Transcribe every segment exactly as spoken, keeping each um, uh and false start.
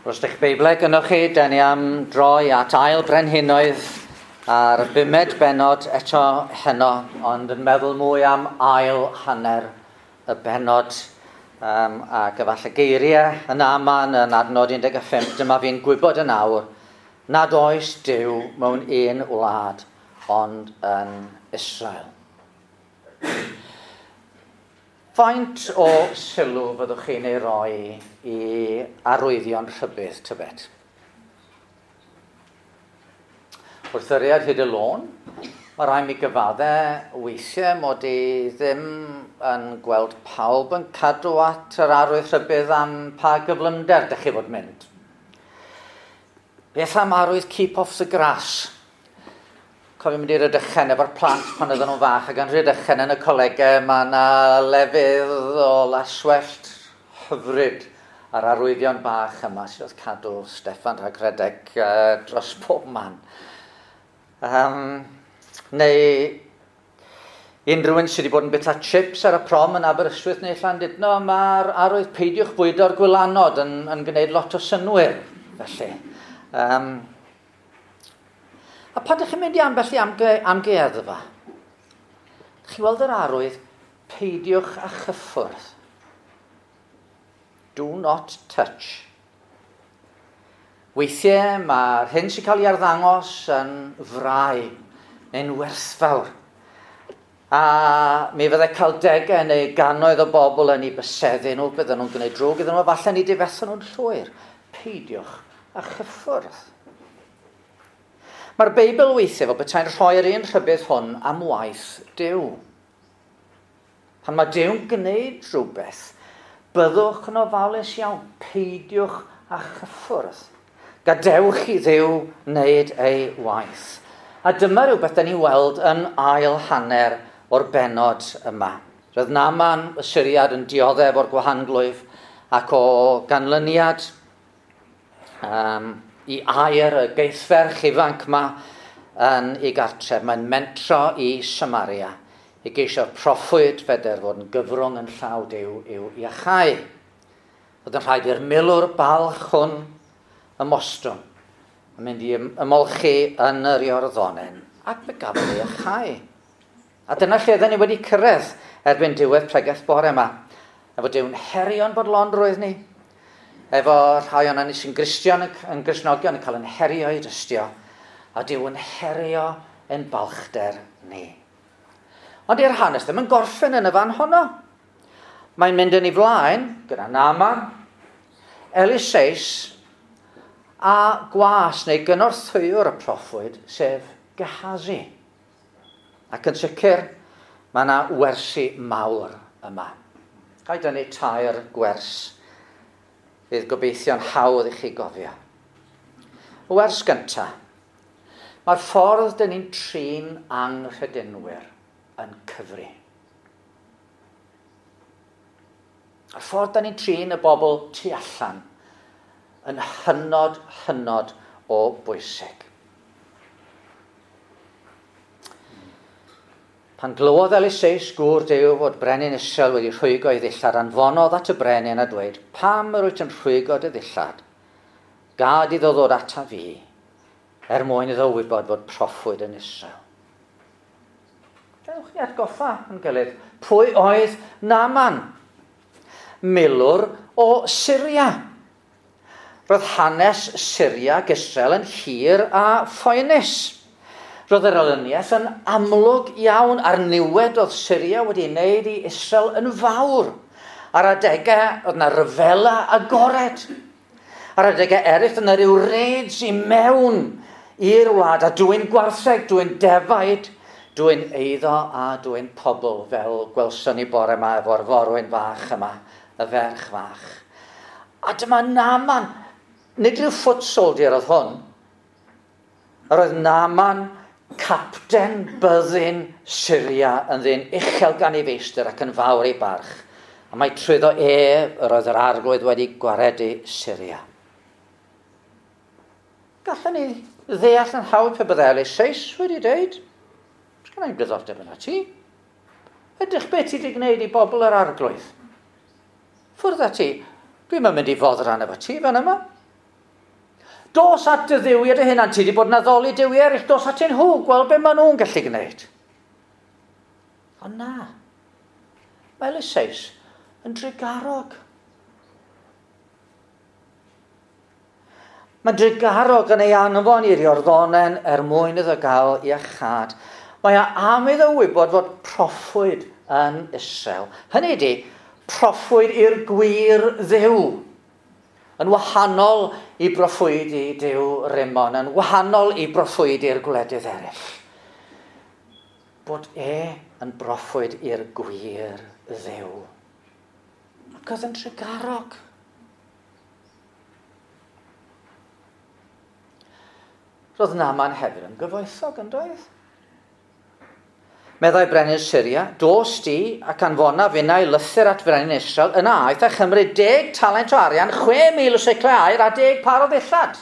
Os ydych Beiblau gynnwch chi, den ni am droi at ail brenhinoedd a'r bumed bennod eto heno, ond yn meddwl mwy am ail hanner y bennod um, ac efallai geiriau yn aman yn adnod un deg pump, dyma fi'n gwybod yn awr nad oes Duw mewn un wlad ond yn Israel. Faint o sylw fyddwch chi'n ei roi i arwyddion rhybudd, tybed? Wrth yriad hyd y lôn, mae rhaid mi gyfadde weithiau mod i ddim yn gweld pawb yn cadw at yr arwydd rhybudd am pa gyflymder dych chi fod mynd. Beth am arwydd keep off the grass? Cofio mynd i Rydychen efo'r plant pan oedden nhw'n fach, ac yn Rhydychen yn y colegau mae yna lefydd o laswellt hyfryd a'r arwyddion bach yma sydd oedd cadw Steffan rhag rhedeg uh, dros pob man. Um, neu unrhyw un sydd wedi bod yn bita chips ar y prom yn Aberystwyth neu Llandudno, mae'r arwydd peidiwch bwydo'r gwylanod yn, yn gwneud lot o synwyr, felly. Um, A pan ydych chi'n mynd i ambell i amge, amgueddfa, chi weld yr arwydd, peidiwch â chyffwrdd. Do not touch. Weithiau mae'r hyn sy'n cael ei arddangos yn frau neu'n werthfawr. A mi fyddai cael degau neu gannoedd o bobl yn ei byseddu nhw, bydden nhw'n gwneud drwg iddyn nhw, a falle ni difethu nhw'n llwyr. Peidiwch â chyffwrdd. Mae'r Beibl weithiau fel petai'n rhoi'r un rhybudd hwn am waith Duw. Pan mae Duw'n gwneud rhywbeth, byddwch yn ofalus iawn, peidiwch â chyffwrdd. Gadewch i Dduw wneud ei waith. A dyma rhywbeth da ni'n weld yn ail hanner o'r bennod yma. Roedd Naaman y Syriad yn dioddef o'r gwahanglwyf ac o ganlyniad um, i air y geithferch ifanc yma yn ei gartref. Mae'n mentro i Samaria i geisio proffwyd feder fod yn gyfrwng yn llaw Duw i'w iachau. Oedd yn rhaid i'r milwr balch hwn ymostwng yn mynd i ymolchi yn yr Iorddonen ac fe gafodd ei iachau. A dyna lle oedden ni wedi cyrraedd erbyn diwedd pregeth bore yma. Efo Duw'n herio'n bodlonrwydd ni, efo rhai o'n ni sy'n Gristion yn Gristnogion yn cael yn herio i dystio, a Duw yn herio ein balchder ni. Ond i'r hanes ddim yn gorffen yn y fan honno. Mae'n mynd yn ei flaen gyda Naaman, Eliseus a gwas neu gynorthwywr y proffwyd, sef Gehazi. Ac yn sicr, mae yna wersi mawr yma. Ga i dynnu tair gwers fydd gobeithio'n hawdd i chi gofio. Y wers gyntaf, mae'r ffordd dyn ni'n trin anghredinwyr yn cyfri. Mae'r ffordd dyn ni'n trin y bobl tu allan yn hynod, hynod o bwysig. Pan glywodd Eliseus gŵr Duw fod brenin Israel wedi rhwygo ei ddillad, anfonodd at y brenin a dweud, pam yr wyt yn rhwygo dy ddillad? Gad iddo ddod ata fi, er mwyn iddo wybod fod proffwyd yn Israel. Dewch ni atgoffa yn gilydd, pwy oedd Naaman? Milwr o Syria. Roedd hanes Syria ac Israel yn hir a phoenus. Roedd yr elyniaeth yn amlwg iawn a'r niwed oedd Syria wedi wneud i Israel yn fawr. Ar adegau oedd yna ryfela agored. Ar adegau eraill oedd yna ryw raids i mewn i'r wlad a dwyn gwartheg, dwyn defaid, dwyn eiddo a dwyn pobl fel gwelson ni bore yma efo'r forwyn fach yma, y ferch fach. A dyma Naaman, nid rhyw foot soldier oedd hwn. Yr oedd Naaman capten byddin Syria yn ddyn uchel gan ei feistr ac yn fawr ei barch. A mae trwyddo ef yr oedd yr arglwydd wedi gwaredu Syria. Gallen ni ddeall yn hawdd pe byddai Eliseus wedi dweud, sgynna i'm diddordeb yna ti. Ydych beth ti wedi gwneud i bobl yr arglwydd? Ffwrdd â ti, dwi'm yn mynd i foddran efo ti fan yma. Dos at dy dduwiau dy hunan, ti wedi bod yn addoli duwiau eraill, dos atyn nhw, gweld be maen nhw'n gallu gwneud. Ond na, mae Eliseus yn drugarog. Mae'n drugarog yn ei anfon i'r Iorddonen er mwyn iddo gael iachâd. Mae o am iddo wybod fod proffwyd yn Israel. Hynny ydi, proffwyd i'r gwir Dduw. Yn wahanol i broffwydi Duw Rimon, yn wahanol i broffwydi'r gwledydd eraill. Bod e yn broffwyd i'r gwir Dduw. Ac oedd yn trugarog. Roedd Naaman hefyd yn gyfoethog, yn doedd? Meddai brenin Syria, dos di ac anfona finnau lythyr at frenin Israel, yna aeth a chymryd deg talent o arian, chwe mil o siclau aur a deg par o ddillad.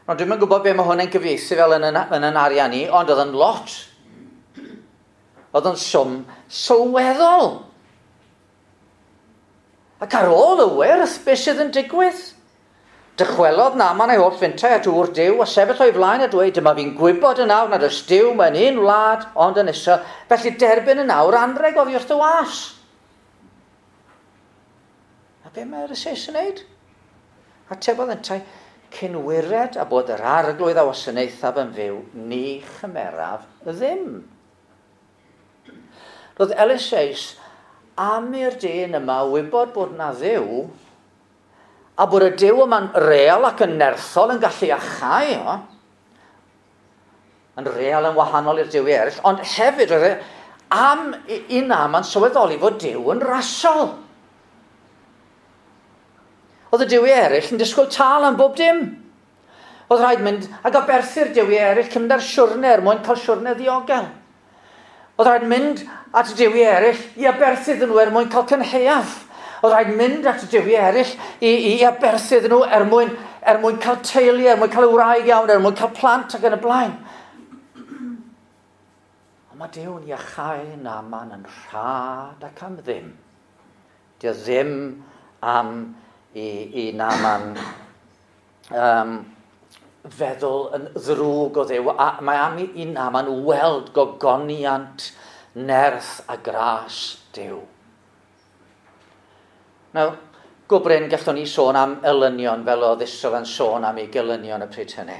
Ond dwi'm yn gwybod be mae hwn yn gyfieithu fel yn, yn, yn arian ni, ond oedd yn lot. Oedd yn swm sylweddol. Ac ar ôl y wyrth, beth sydd yn digwydd? Dychwelodd Naaman ei holl fintai at ŵr Duw a sefyll o'i flaen a dweud, dyma fi'n gwybod yn awr nad oes Duw mewn un wlad ond yn Israel, felly derbyn yn awr anrheg oddi wrth dy was. A be mae Eliseus yn wneud? Atebodd yntau, cyn wired a bod yr arglwydd a wasanaethaf yn fyw, ni chymeraf ddim. Roedd Eliseus am i'r dyn yma wybod bod na Dduw, a bod y Duw yma'n real ac yn nerthol yn gallu achau o, yn real yn wahanol i'r duwiau eraill, ond hefyd roedd e am i Naaman sylweddoli fod Duw yn rasol. Oedd y duwiau eraill yn disgwyl tâl am bob dim. Oedd rhaid mynd ac aberthu'r duwiau eraill cyn mynd ar siwrne er mwyn cael siwrne ddiogel. Oedd rhaid mynd at y duwiau eraill i aberthu iddyn nhw er mwyn cael cynhaeaf. Oedd rhaid mynd at y duwiau eraill i, i aberthu iddyn nhw er mwyn, er mwyn cael teulu, er mwyn cael y wraig iawn, er mwyn cael plant ac yn y blaen. Ond mae Duw'n iachau Naaman yn rhad ac am ddim. Dio ddim am i, i Naaman um, feddwl yn ddrwg o Dduw. A mae am i, i Naaman weld gogoniant, nerth a gras Duw. Nawr, go brin gallwn ni sôn am elynion fel oedd Israel yn sôn am ei gelynion y pryd hynny.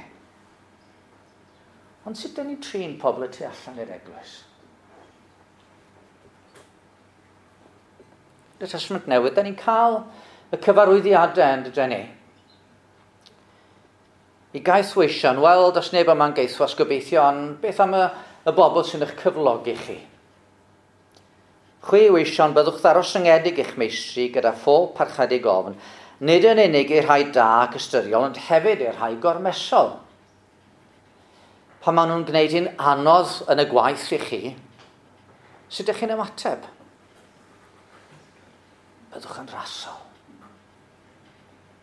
Ond sut dyn ni'n trin pobl y tu allan i'r eglwys? Y Testament Newydd, dyn ni'n cael y cyfarwyddiadau yn dydyn ni. I gaethweision, wel, does neb yma'n gaethwas gobeithio, ond beth am y, y bobl sy'n eich cyflogi chi? Chwi weision, byddwch ddarostyngedig eich meistri gyda phob parchedig ofn, nid yn unig i'r rhai da ac ystyriol, ond hefyd i'r rhai gormesol. Pan maen nhw'n gwneud hi'n anodd yn y gwaith i chi, sut ydych chi'n ymateb? Byddwch yn rasol.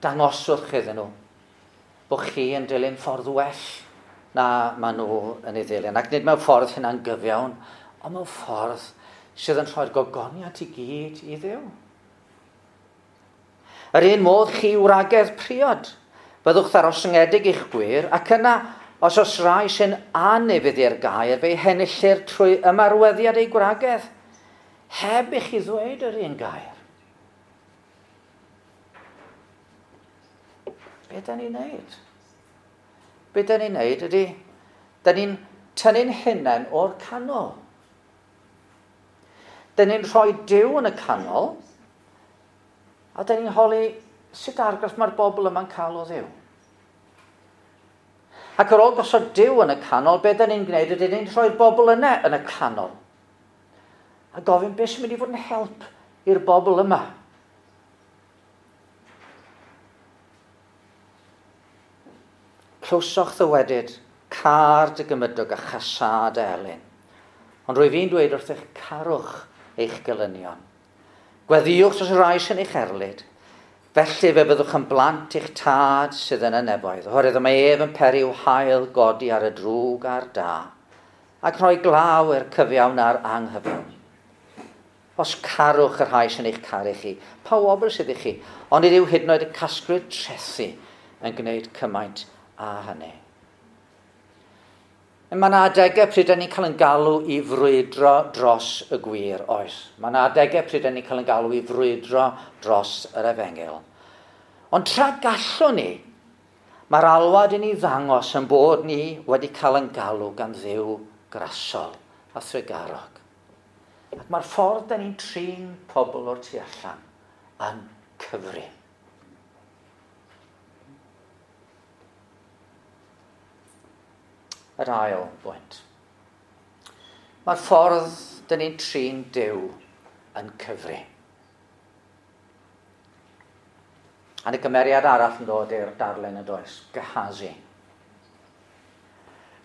Dangoswch iddyn nhw bod chi yn dilyn ffordd well na maen nhw yn ei ddilyn. Ac nid mewn ffordd hynna'n gyfiawn, ond mewn ffordd sydd yn rhoi'r gogoniant i gyd i Dduw. Yr un modd chi wragedd priod, byddwch ddarostyngedig i'ch gwir, ac yna, os oes rai sy'n anufudd i'r gair, fe'i henillir trwy ymarweddiad eu gwragedd, heb i chi ddweud yr un gair. Be da ni'n neud? Be da ni'n neud ydy, da ni'n tynnu'n hunain o'r canol. Da ni'n rhoi Duw yn y canol, a da ni'n holi sut argraff mae'r bobl yma'n cael o Dduw. Ac ar ôl gosod Duw yn y canol, be da ni'n gwneud ydy ni'n rhoi'r bobl yna yn y canol. A gofyn beth sy'n mynd i fod yn help i'r bobl yma. Clywsoch ddywedyd, car dy gymydog a chasâd elyn. Ond rwyf fi'n dweud wrthych, carwch eich gelynion. Gweddïwch dros y rhai sy'n eich erlid. Felly fe fyddwch yn blant i'ch tad sydd yn y nefoedd, oherwydd mae ef yn peri i'w haul godi ar y drwg a'r da, ac rhoi glaw i'r cyfiawn a'r anghyfiawn. Os carwch y rhai sy'n eich caru chi, pa wobr sydd i chi, ond nid yw hyd yn oed y casglwyr trethi yn gwneud cymaint â hynny. Mae yna adegau pryd 'dan ni'n cael yn galw i frwydro dros y gwir, oes. Mae yna adegau pryd 'dan ni'n cael yn galw i frwydro dros yr efengyl. Ond tra gallwn ni, mae'r alwad i ni ddangos yn bod ni wedi cael yn galw gan Dduw grasol a thrugarog. Ac mae'r ffordd 'dan ni'n trin pobl o'r tu allan yn cyfri. Yr ail bwynt. Mae'r ffordd 'dan ni'n trin Duw yn cyfri. A y gymeriad arall yn dod i'r darlun yn does, Gehazi.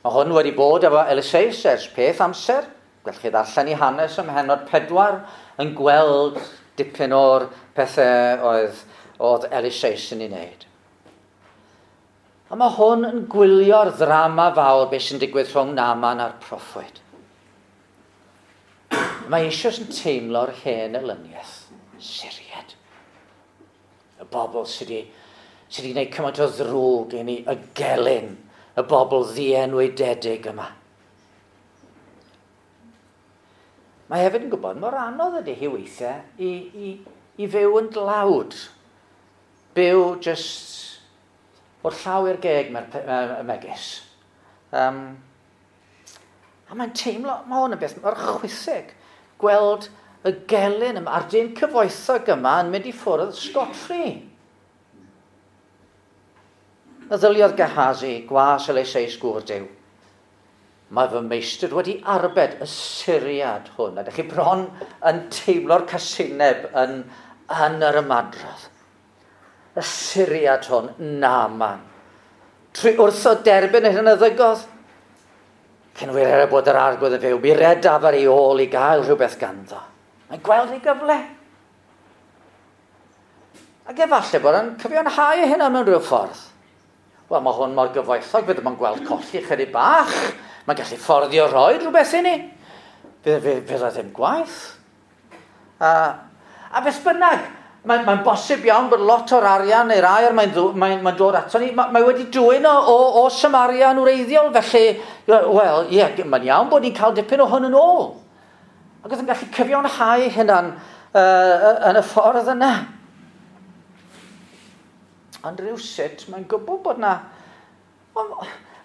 Mae hwn wedi bod efo Eliseus ers peth amser. Gallwch chi ddarllen i hanes ym mhennod pedwar yn gweld dipyn o'r pethau oedd, oedd Eliseus yn ei wneud. A mae hwn yn gwylio'r ddrama fawr beth sy'n digwydd rhwng Naaman a'r proffwyd. Mae eisoes yn teimlo'r hen elyniaeth, Syriad. Y bobl sydd wedi, sydd wedi gwneud cymaint o ddrwg i ni, y gelyn, y bobl ddienwydedig yma. Mae hefyd yn gwybod mor anodd ydy hi weithiau i, i, i fyw yn dlawd. Byw just o'r llaw i'r geg mae'r megis. Um, a mae'n teimlo, mae hwn yn beth mor chwithig, gweld y gelyn yma, a'r dyn cyfoethog yma yn mynd i ffwrdd scot-free. Meddyliodd Gehazi, gwas Eliseus gŵr Duw. Mae fy meistr wedi arbed y Syriad hwn. A ydych chi bron yn teimlo'r casineb yn, yn yr ymadrodd. Y Syriad hwn, Naaman. Trwy wrtho derbyn yr hyn a ddygodd. Cyn wir er bod yr arglwydd yn fyw, mi redaf ar ei ôl i gael rhywbeth ganddo. Mae'n gweld ei gyfle. Ac efallai bod yn cyfiawnhau ei hunan mewn rhyw ffordd. Wel, mae hwn mor gyfoethog, fydd yn gweld colli chydig bach. Mae'n gallu fforddio rhoi rhywbeth i ni. Fydd, fydd, fydd o ddim gwaith. A, a beth bynnag, mae'n mae bosib iawn bod lot o'r arian neu'r aer mae'n mae, mae dod ato ni. Mae, mae wedi dwyn o, o, o Samaria yn wreiddiol, felly, wel, ie, yeah, mae'n iawn bod ni'n cael dipyn o hwn yn ôl. Ac oedd yn gallu cyfiawnhau hynna'n uh, yn y ffordd yna. Ond rhywsut, mae'n gwybod bod na... Mae'n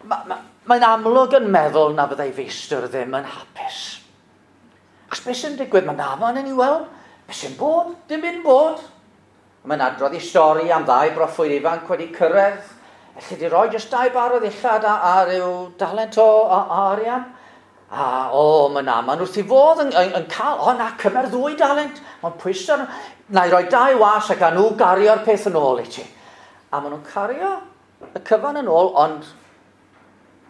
ma, ma, mae amlwg yn meddwl na fyddai feistr ddim yn hapus. Achos beth sy'n digwydd? Mae Naaman yn ei weld. Beth sy'n bod? Dim byd yn bod. Mae'n adrodd i stori am ddau broffwyd ifanc wedi cyrraedd. Elli di roi jyst dau bar o ddillad a, a rhyw dalent o, o, o arian. A o, mae Naaman wrth i fodd yn, yn, yn cael, o na, cymer ddwy dalent. Mae'n pwyso, na i roi dau was ac a nhw gario'r peth yn ôl i ti. A maen nhw'n cario y cyfan yn ôl, ond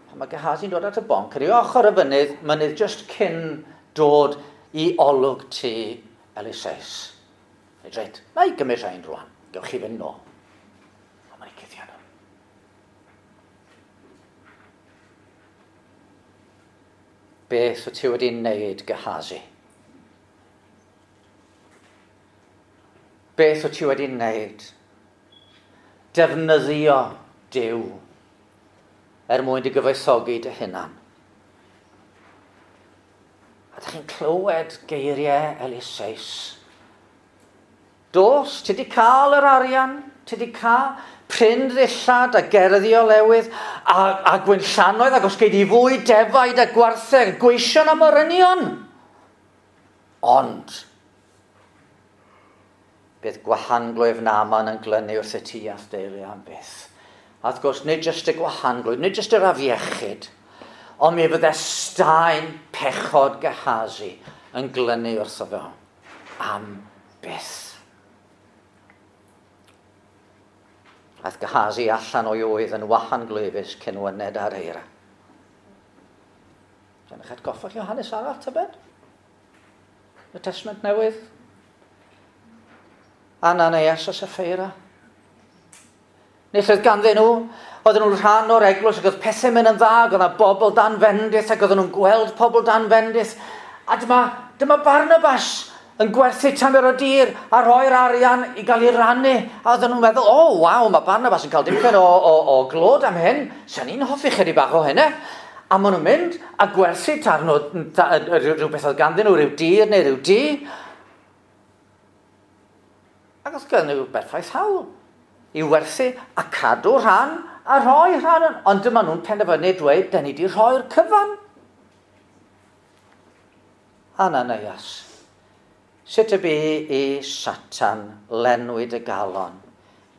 pan mae Gehazi'n dod at y bonc, ar ei ochr y fynydd, mynydd just cyn dod i olwg tu Eliseus. Reit, reit, na i gymryd rhain rwan, gewch chi fynd nôl. A mae'n ei cuddio nhw. Beth wyt ti wedi wneud, Gehazi? Beth wyt ti wedi wneud? Defnyddio Duw er mwyn dy gyfoethogi dy hunan. A ydych chi'n clywed geiriau Eliseus. Dos, ti di cael yr arian, ti di cael prin ddillad a gerddi o lewydd a, a gwynllanoedd ac os gei di fwy defaid a gwartheg, gweision am orynion. Ond, bydd gwahanglwyf Naaman yn glynu wrth y tŷ a'th deulu am byth. A wrth gwrs, nid jyst y gwahanglwyf, nid jyst yr afiechyd, ond mi fydde staen pechod Gehazi yn glynu wrtho fo am byth. Aeth Gehazi allan o'i oedd yn wahanglwyfus cyn wyned ar eira. Dyna eich atgoffa chi o hanes arall, tybed? Y Testament Newydd? Ananias a Sapphira. Nid oedd ganddyn nhw, oedden nhw'n rhan o'r eglwys ac oedd pethau mynd yn dda, ac oedd yna bobl dan fendith ac oedden nhw'n gweld pobl dan fendith. A dyma, dyma Barnabas yn gwerthu tamer o dir a rhoi'r arian i gael ei rannu. A oedden nhw'n meddwl, o, oh, waw, mae Barnabas yn cael dipyn o, o, o glod am hyn. Sa'n ni'n hoffi chydig bach o hynny. A maen nhw'n mynd a gwerthu tarn o, ta, rhywbeth oedd ganddyn nhw, rhyw dir neu rhyw dŷ. Ac oedd gan nhw berffaith hawl i werthu a cadw rhan a rhoi rhan. Ond dyma nhw'n penderfynu dweud, da ni wedi rhoi'r cyfan. Ananias, sut y bu i Satan lenwi dy galon,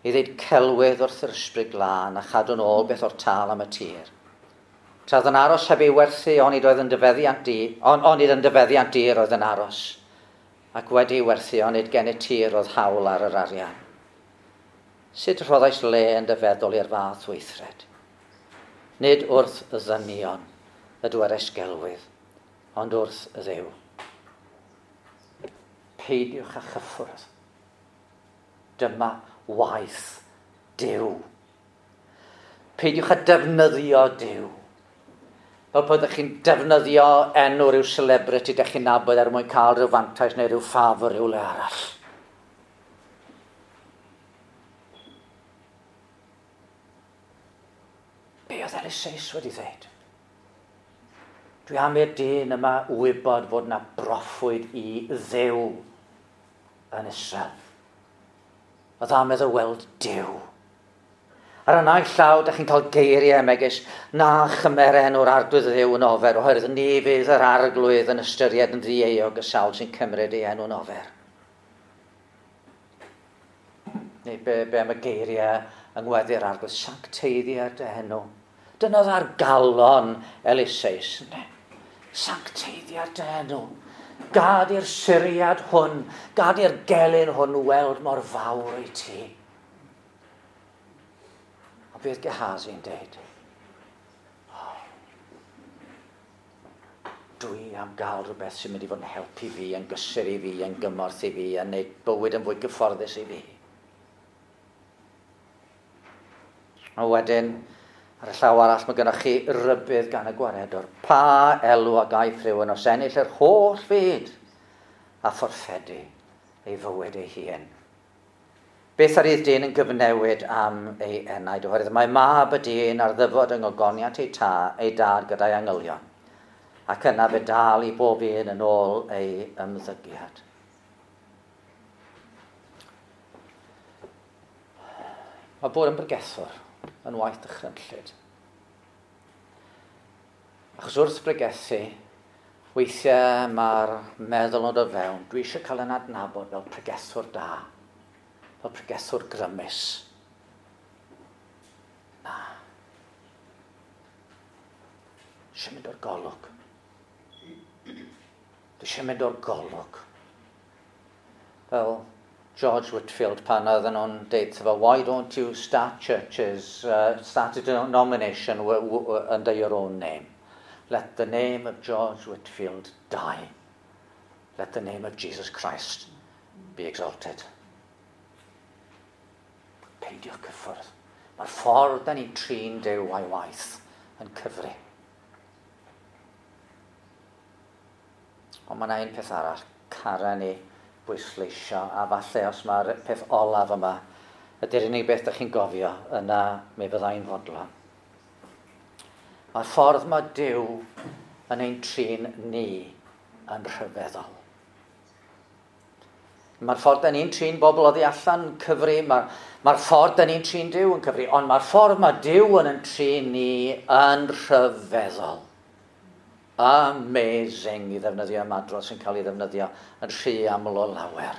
i ddeud celwydd wrth yr Ysbryd Glân a chadw'n ôl beth o'r tâl am y tir? Tra oedd yn aros heb ei werthu, onid oedd yn dy feddiant di, on, onid yn dy feddiant di yr oedd yn aros, ac wedi ei werthu, onid gennyt ti yr oedd hawl ar yr arian. Sut rhoddais le yn dy feddwl i'r fath weithred? Nid wrth y ddynion y dwedais gelwydd, ond wrth y Dduw. Peidiwch â chyffwrdd. Dyma waith Duw. Peidiwch â defnyddio Duw. Fel bod ydych chi'n defnyddio enw rhyw celebrity ydych chi'n nabod er mwyn cael rhyw fantais neu rhyw ffafr rhyw le arall. Be oedd Eliseus wedi dweud? Dwi am i'r dyn yma wybod fod yna broffwyd i Dduw yn Israel. Oedd am iddo weld Duw. Ar y naill llaw, dych chi'n cael geiriau megis, na chymer enw'r Arglwydd Dduw yn ofer, oherwydd ni fydd yr Arglwydd yn ystyried yn ddieuog y sawl sy'n cymryd ei enw'n ofer. Neu be, be am y geiriau yng ngweddi'r Arglwydd, sancteiddiad dy enw. Dyna oedd ar galon Eliseus. Sancteiddiad dy enw. Gad i'r Syriad hwn, gad i'r gelyn hwn weld mor fawr i ti. A beth Gehazi'n deud? Oh, dwi am gael rhywbeth sy'n mynd i fod yn helpu fi, yn gysur i fi, yn gymorth i fi, yn gwneud bywyd yn fwy gyfforddus i fi. A wedyn, ar y llaw arall, mae gennych chi rybudd gan y gwaredwr. Pa elw a gaiff rhywun os ennill yr holl fyd a fforffedu ei fywyd ei hun? Beth ar i'r dyn yn gyfnewid am ei enaid? Oherwydd mae mab y dyn ar ddyfod yng ngogoniant ei, ta, ei dad gyda'i angylion, ac yna fe dal i bob un yn ôl ei ymddygiad. Mae bod yn bregethwr yn waith dychrynllyd. Achos wrth bregethu, weithiau mae'r meddwl yn dod fewn, dwi eisiau cael yn adnabod fel pregethwr da, fel pregethwr grymus. Na. Eisiau mynd o'r golwg. Dwi eisiau mynd o'r golwg. Fel George Whitefield pan oedden nhw'n deud fo, why don't you start churches, uh, start a denomination under your own name? Let the name of George Whitefield die. Let the name of Jesus Christ be exalted. Peidiwch cyffwrdd. Mae'r ffordd da ni'n trin Duw a'i waith yn cyfri. Ond mae yna un peth arall, cara ni bwysleisio, a falle os mae'r peth olaf yma, ydy'r unig beth ydych chi'n gofio, yna mi fyddai'n fodlon. Mae'r ffordd mae Duw yn ein trin ni yn rhyfeddol. Mae'r ffordd da ni'n trin bobl oddi allan yn cyfri, mae'r mae ffordd da ni'n trin Duw yn cyfri, ond mae'r ffordd mae Duw yn ein trin ni yn rhyfeddol. Amazing i ddefnyddio ymadrodd sy'n cael ei ddefnyddio yn rhy aml o lawer.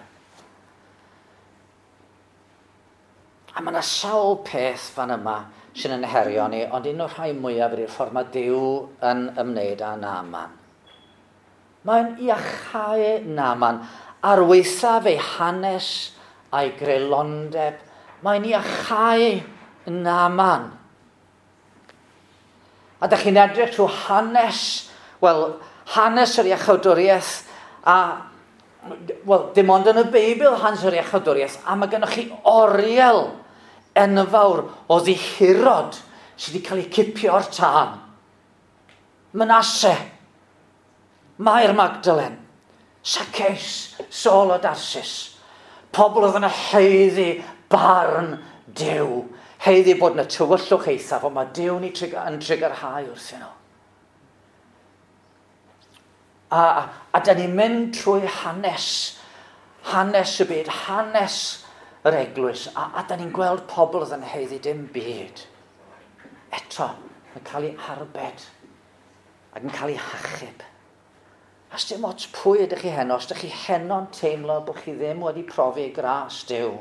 A mae yna sawl peth fan yma sy'n yn herio ni, ond un o'r rhai mwyaf ydy'r ffordd mae Duw yn ymwneud â Naaman. Mae'n iachau Naaman ar waethaf ei hanes a'i greulondeb. Mae'n iachau Naaman. A dych chi'n edrych trwy hanes, wel, hanes yr iachawdwriaeth, a, wel, dim ond yn y Beibl hanes yr iachawdwriaeth, a mae gennych chi oriel enfawr o ddihirod sydd wedi cael eu cipio o'r tân. Manasse, Mair Magdalen, Zacchaeus, Saul o Darsis. Pobl oedd yn haeddu barn Duw. Haeddu bod yn y tywyllwch eithaf, ond mae Duw ni yn trugarhau wrthyn nhw. A, a, a da ni'n mynd trwy hanes, hanes y byd, hanes yr eglwys, a, a da ni'n gweld pobl oedd yn haeddu dim byd. Eto, yn cael ei arbed ac yn cael ei hachub. A dim ots pwy ydych chi heno, os ydych chi heno'n teimlo bod chi ddim wedi profi gras Duw.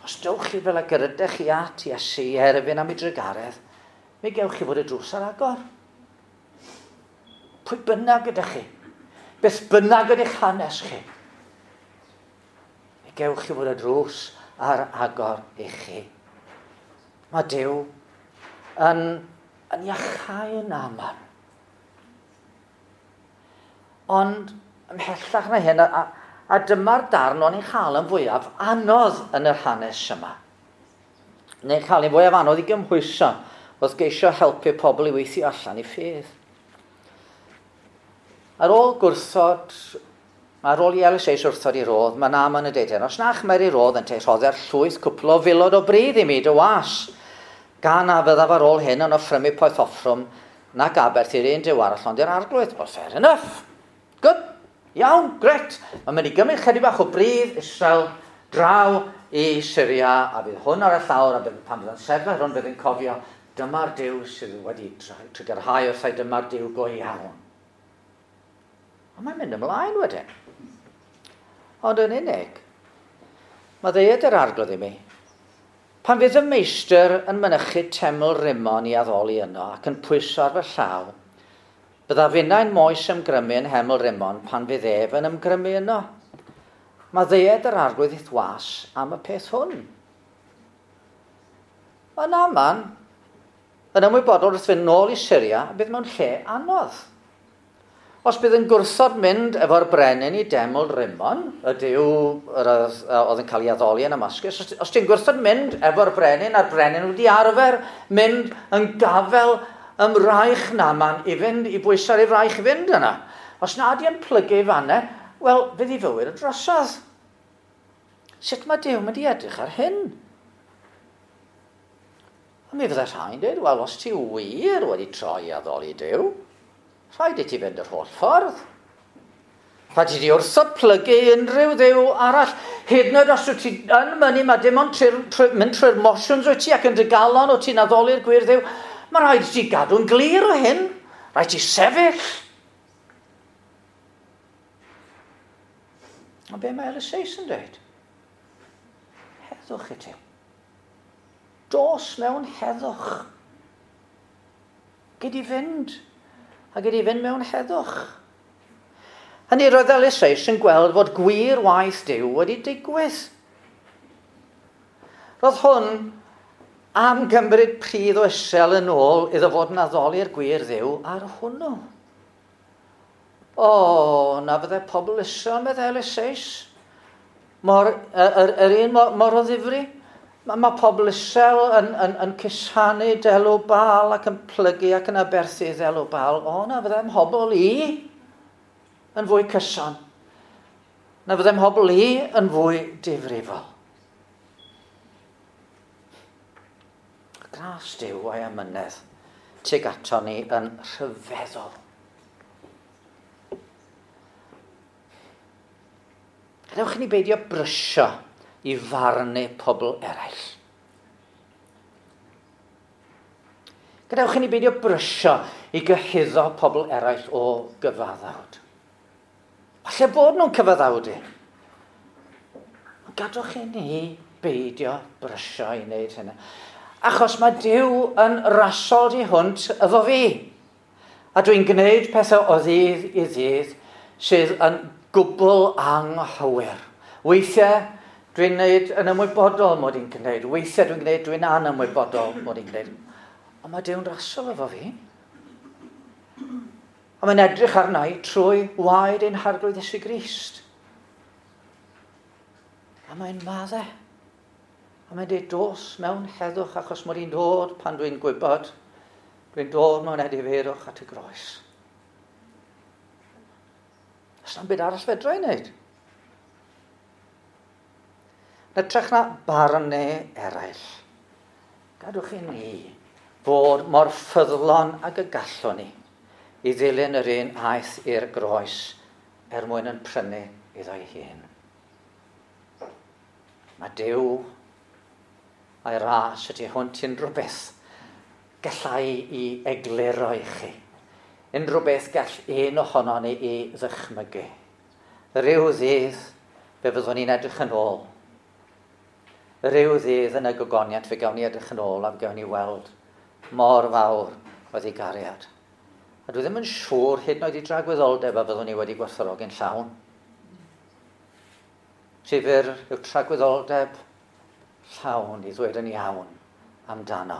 Os dewch chi fel ag yr ydych chi at Iesu i erfyn am ei drugaredd, mi gewch chi fod y drws ar agor. Pwy bynnag ydych chi, beth bynnag ydych hanes chi, mi gewch chi fod y drws ar agor i chi. Mae Duw yn, yn iachau yn Naaman. Ond ymhellach na hyn, a, a dyma'r darn o'n i'n chael yn fwyaf anodd yn yr hanes yma. Neu'n cael yn fwyaf anodd i gymhwyso wrth geisio helpu pobl i weithio allan i ffydd. Ar ôl gwrthod, ar ôl i Eliseus wrthod i rodd, mae Naaman yn deud hyn, os na chymeri rodd yn te, rhodder llwyth cwpl o filod o bridd i mi dy was. Gan a fyddaf ar ôl hyn yn offrymu poeth offrwm nac aberth i'r un Duw arall ond i'r Arglwydd. Well, fair enough. Good. Iawn, gret. Mae'n mynd i gymryd chydig bach o bridd Israel draw i Syria, a bydd hwn ar y llawr, a bydd, pan fydd yn sefyll hwn bydd yn cofio, dyma'r Duw sydd wedi trugarhau wrthai, dyma'r Duw go iawn. A mae'n mynd ymlaen wedyn. Ond yn unig, mae ddeud yr Arglwydd i mi, pan fydd y meistr yn mynychu teml Rimon i addoli yno ac yn pwyso ar fy llaw, byddaf finnau'n moes ymgrymu yn heml Rimon pan fydd ef yn ymgrymu yno. Mae ddeud yr Arglwydd i'th was am y peth hwn. Mae Naaman yn ymwybodol wrth fynd nôl i Syria a bydd mewn lle anodd. Os bydd yn gwrthod mynd efo'r brenin i deml Rimon, y Duw oedd yn cael ei addoli yn Damascus, os, os ti'n gwrthod mynd efo'r brenin, a'r brenin wedi arfer mynd yn gafel ym mraich Naaman i fynd, i bwyso ar ei fraich i fynd yna. Os na di yn plygu i fanne, wel, fydd ei fywyd yn drosodd. Sut mae Duw mynd i edrych ar hyn? A mi fydde rhai'n dweud, wel, os ti wir wedi troi addoli Duw, rhaid i ti fynd yr holl ffordd. Rhaid i ti wrthod plygu unrhyw dduw arall. Hyd yn oed os wyt ti yn mynnu, mae dim ond trwy'r, trwy, mynd trwy'r motions wyt ti ac yn dy galon wyt ti'n addoli'r gwir dduw. Mae rhaid i ti gadw'n glir o hyn. Rhaid ti sefyll. Ond be mae Eliseus yn dweud? Heddwch i ti. Dos mewn heddwch. Gyd i fynd. A gyd i fynd mewn heddwch. Hynny roedd Eliseus yn gweld fod gwir waith Duw wedi digwydd. Roedd hwn am gymryd pridd o Israel yn ôl iddo fod yn addoli'r gwir Dduw ar hwnnw. O, na fydde pobl Israel, meddai Eliseus, mor, yr, yr un mor, mor o ddifri. Mae, mae pobl Israel yn, yn, yn cusanu delw Baal ac yn plygu ac yn aberthu ddelw Baal. O, na fydde mhobl i yn fwy cyson. Na fydde mhobl i yn fwy difrifol. Gras Duw a'i amynedd tuag ato ni yn rhyfeddol. Gadewch i ni beidio brysio i farnu pobl eraill. Gadewch i ni beidio brysio i gyhuddo pobl eraill o gyfaddawd. Falle bod nhw'n cyfaddawdu. Ond gadewch i ni beidio brysio i wneud hynny. Achos mae Duw yn rasol di hwnt efo fi. A dwi'n gwneud pethau o ddydd i ddydd sydd yn gwbl anghywir. Weithiau dwi'n gwneud yn ymwybodol mod i'n gwneud. Weithiau dwi'n gwneud dwi'n anymwybodol mod i'n gwneud. Ond mae Duw'n rasol efo fi. A mae'n edrych arna i trwy waed ein Harglwydd Iesu Grist. A mae'n maddau. A mae'n dweud dos mewn heddwch achos mod i'n dod pan dwi'n gwybod. Dwi'n dod mewn edifeirwch at y groes. Does na'm byd arall fedra i wneud. Yn hytrach na barnu eraill, gadwch i ni fod mor ffyddlon ag y gallwn ni i ddilyn yr un aeth i'r groes er mwyn yn prynu iddo'i hun. Mae Duw a'i ras y tu hwnt unrhyw beth gallai i egluro i chi. Unrhyw beth gall un ohono ni i ddychmygu. Rhyw ddydd fe fyddwn ni'n edrych yn ôl. Rhyw ddydd yn y gogoniant fe gawn ni edrych yn ôl a fe gawn ni weld mor fawr oedd ei gariad. A dwi ddim yn siŵr hyd yn oed i dragwyddoldeb a fyddwn ni wedi gwerthfawrogi'n llawn. Rhy fyr yw tragwyddoldeb llawn i ddweud yn iawn amdano.